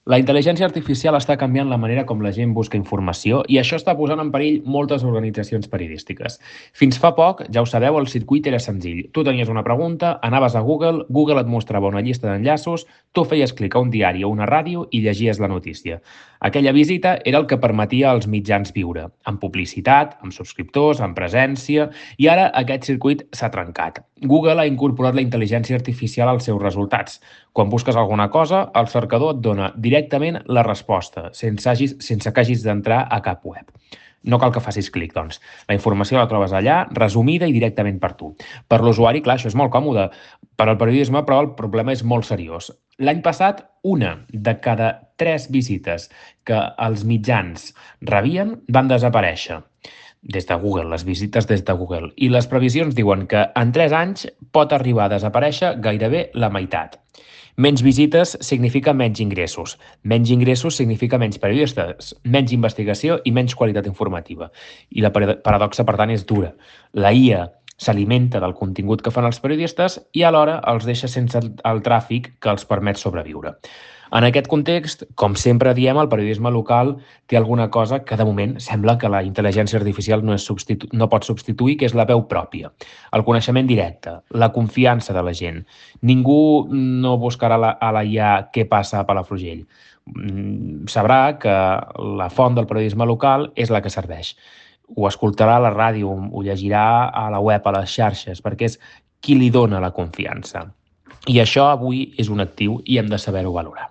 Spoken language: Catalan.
La intel·ligència artificial està canviant la manera com la gent busca informació i això està posant en perill moltes organitzacions periodístiques. Fins fa poc, ja ho sabeu, el circuit era senzill. Tu tenies una pregunta, anaves a Google, Google et mostrava una llista d'enllaços, tu feies clic a un diari o una ràdio i llegies la notícia. Aquella visita era el que permetia als mitjans viure, amb publicitat, amb subscriptors, amb presència, i ara aquest circuit s'ha trencat. Google ha incorporat la intel·ligència artificial als seus resultats. Quan busques alguna cosa, el cercador et dona directament la resposta, sense que hagis d'entrar a cap web. No cal que facis clic, doncs. La informació la trobes allà, resumida i directament per tu. Per l'usuari, clar, això és molt còmode. Per al periodisme, però, el problema és molt seriós. L'any passat, una de cada 3 visites que els mitjans rebien van desaparèixer des de Google, les visites des de Google. I les previsions diuen que en 3 anys pot arribar a desaparèixer gairebé la meitat. Menys visites significa menys ingressos. Menys ingressos significa menys periodistes, menys investigació i menys qualitat informativa. I la paradoxa, per tant, és dura. La IA s'alimenta del contingut que fan els periodistes i alhora els deixa sense el tràfic que els permet sobreviure. En aquest context, com sempre diem, el periodisme local té alguna cosa que de moment sembla que la intel·ligència artificial no pot substituir, que és la veu pròpia, el coneixement directe, la confiança de la gent. Ningú no buscarà a la IA què passa a Palafrugell. Sabrà que la font del periodisme local és la que serveix. Ho escoltarà a la ràdio, ho llegirà a la web, a les xarxes, perquè és qui li dona la confiança. I això avui és un actiu i hem de saber-ho valorar.